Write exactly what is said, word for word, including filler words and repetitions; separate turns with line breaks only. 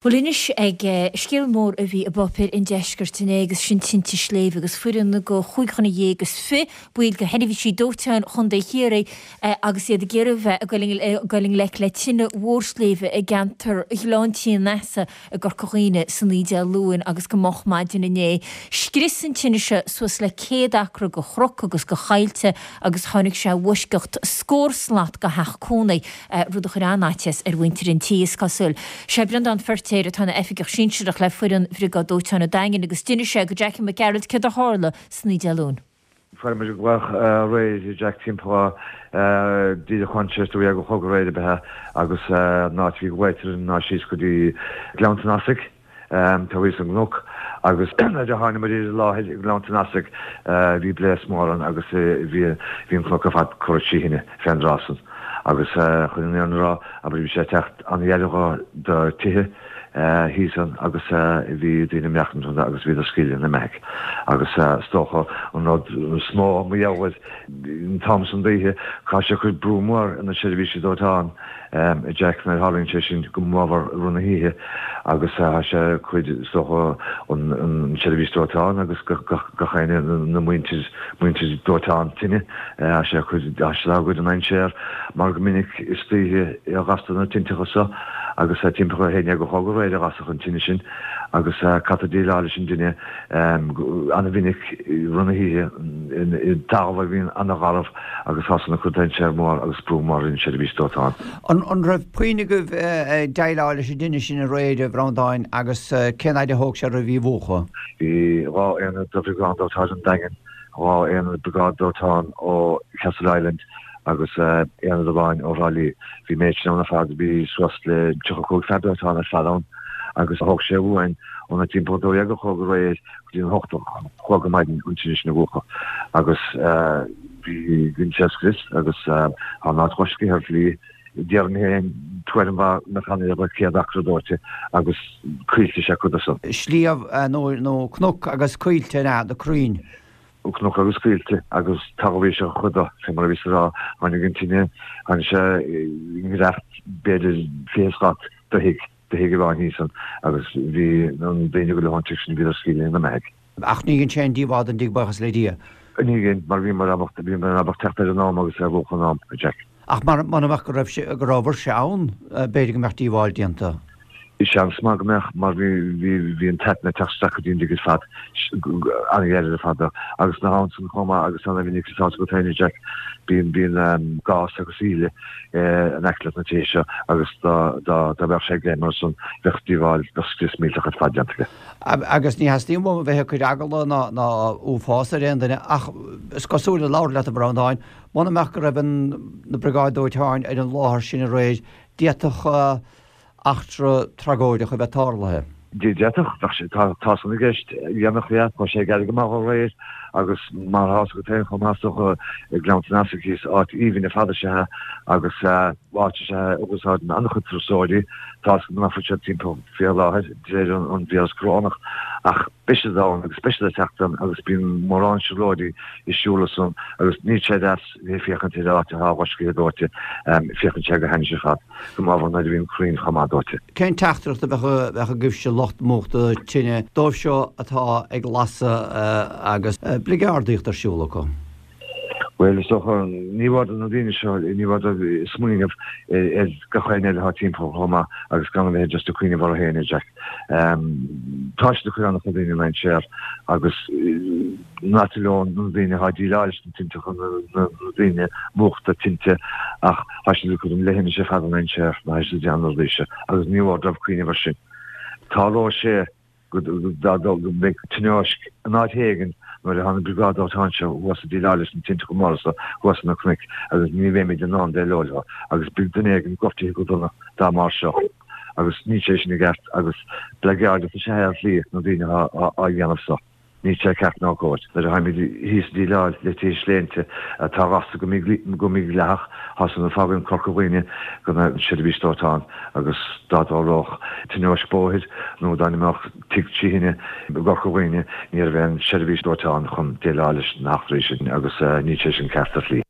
Bhuel anois ag scéal mór a bhí i bpáipéir an deiscirt inné agus sin tinte sléibhe agus foireann de chúig dhuine dhéag is fiche baill de sheirbhísí dóiteáin Chontae Chiarraí agus iad ag iarraidh bheith ag dul i ngleic le tine mhór sléibhe i gceantar Ghleann Tí an Easa i gCorca Dhuibhne san oíche Dé Luain agus go moch maidin inné. Scrios an tine seo suas le céad acra de chnoc agus de choillte agus tháinig sé i bhfoisceacht scór slat de theach cónaí, rud a chuir an-fhaitíos ar mhuintir an tí, is cosúil. Sé Breandán Feirtéar atá ina oifigeach sinsearach le foireann Bhriogáid Dóiteáin an Daingin agus d'inis sé do Jackie Mac Gearailt céard a tharla san oíche Dé Luain.
Fuair muid glaoch aréir Jack timpeall díreach chun a dó dhéag a chlog aréir ab ea agus an áit a bhí glaoite ná síos go dtí Gleann an Easaigh taobh thíos ón gcnoc agus nuair a tháinig muid ar an láthair i nGleann an Easaigh bhí blaosc mór ann agus bhí an cnoc ar fad curtha trí thine fén dtráth san. Agus chun an fhírinne a rá, abair, bhí sé ag teacht an-ghar do tithe thíos ann agus bhí daoine ag maireachtaint ann agus bhíodar scaoileadh ina mbeathaigh. Agus is dócha an rud is mó mar gheall air an t-am san d'oíche, caithfidh sé cur brú mór ar na seirbhísí dóiteáin, a Jack, nuair a tharlaíonn sé sin go mór i rith na hoíche agus tá sé cuid, is dócha, an tseirbhís dóiteáin agus gach éinne, na muintir, muintir dóiteáin tine, tá sé cuid, tá sé dá gcuid i ndainséar mar go minic istoíche a ghastar na tinteacha seo agus timpeall a haon déag a chlog aréir a gasadh an tine sin agus caithfear déileáil leis an dtine an-mhinic i rith na hoíche i dtalamh a bhíonn an-gharbh agus tá san ag cur dainséar mór agus brú mór ar an tseirbhís dóiteáin.
An raibh puinn agaibh ag déileáil leis an dtine sin aréir, a Bhreandáin, agus cén fhaid a thóg sé oraibh í a mhúchadh?
Bhí dhá aonad de Bhriogáid Dóiteáin an Daingin, dhá aonad Briogáid Dóiteáin ó Castleisland agus aonad amháin ó Thrá Lí. Bhí an méid sin ann ar fad, bhí suas le tríocha cúig fear dóiteáin ar fad ann agus thóg sé uainn óna timpeall a dó dhéag a chlog aréir go dtí an hocht a chlog ar maidin an tine sin a mhúchadh agus bhí dhein sé scrios agus tá an áit loiscthe ar shlí déarfainn féin tuairim mhaith nach annamh le céad acra dóite agus coillte is ea cuid de san.
Sliabh nó cnoc agus coillte an ea, na crainn.
Cnoc agus coillte agus talamh íseal chuid de, fé mar a bhíos a rá, tháinig an tine, tháinig sé i ngiorracht b'fhéidir fiche slat do thigh, do thigh amháin thíos ann agus bhí na daoine go leor an tigh sin, bhíodar scaoilte ina mbeathaigh.
Ach ní dhein sé aon díobháil don dtigh, buíochas le Dia.
Ní dhein, mar bhíomar ábalta, bhíomar ábalta teacht ar in am agus é a mhúchadh in am, a Jack.
Ach mura mbeadh go raibh sé, go rabhabhairse ann, b'fhéidir go mbeadh díobháil déanta.
Seans maith go mbeadh, mar bhí, bhí, bhí an t-aiteann ag teacht isteach go dtí an dtigh ar fad, an-ghairid ar fad dó. Agus nach ann san chomh maith agus an-mhinic is áit agat féin, a Jack, bíonn, bíonn gás agus íle in aice leis na tithe seo agus dá, dá, dá mbeadh sé ag léim mar san, bheadh díobháil, bheadh scrios millteach ar fad déanta aige.
Agus ní theastaíonn uaim a bheith ag cur eagla ná, ná uafás ar aon duine ach is cosúil ag labhairt leat, a Bhreandáin, muna mbeadh go raibh an, na Briogáid Dóiteáin ar an láthair sin aréir, d'fhéadfadh eachtra tragóideach a bheith tarlaithe.
D'fhéadfadh, bheadh sé, tá, tá san i gceist, dhéanfadh, yeah, tá sé ag éirí go maith aréir agus mar atá fhios agat féin chomh maith is dócha i nGleann an Easaigh thíos, áit aoibhinn ar fad is ea agus áit is ea a úsáideann an-chuid turasóirí, tá fhios agam nach bhfuil siad timpeall fé láthair de réir an víreas corónach ach beidh siad ann agus beidh siad ag teacht ann agus bíonn mórán siúlóirí ag siúl ansan agus níl sé deas bheith ag féachaint ar áit atá loiscthe dóite, féachann sé go hainnis ar fad, go mór mhór nuair a bhíonn crainn chomh maith dóite.
Cén teachtaireacht a bheadh agaibhse lucht múchta tine dóibh seo atá ag lasadh agus bligeardaíocht ar siúl acu?
Bhuel, is dócha, ní mór do na daoine seo, ní mór dóibh smaoineamh ar gach éinne eile atá timpeall chomh maith agus gan a bheith just ag cuimhneamh orthu féin, a Jack. Tá siad ag cur an-chuid daoine i ndainséar agus not alone na daoine atá ag déileáil leis na tinteacha, na daoine múchta tinte ach tá siad ag cur an leithinis ar fad i ndainséar nuair atá siad ag déanamh na rudaí seo agus ní mór dóibh cuimhneamh air sin. Tarlóidh sé. go mbeidh tionóisc in áit éigin nuair atá na briogáid dóiteáin seo thuas ag déileáil leis na tinteacha móra seo thuas ar na cnoic agus ní bheimid in ann déileáil leo agus beidh duine éigin gortaithe go dona dá mbarr seo agus níl sé sin i gceart agus bligeardaíocht is ea é ar shlí na daoine atá á dhéanamh seo. Níl sé ceart ná cóir. Nuair a tháimid thíos ag déileáil le tithe sléibhe atá gasta go mídhleathach, tá san ag fágaint Corca Dhuibhne gan an seirbhís dóiteáin agus dá dtarlódh tionóisc bóthair nó dá n-imeodh tigh trí thine i gCorca Dhuibhne ní raibh aon seirbhís dóiteáin chun déileáil leis na heachtraí sin agus níl sé sin ceart ar shlí.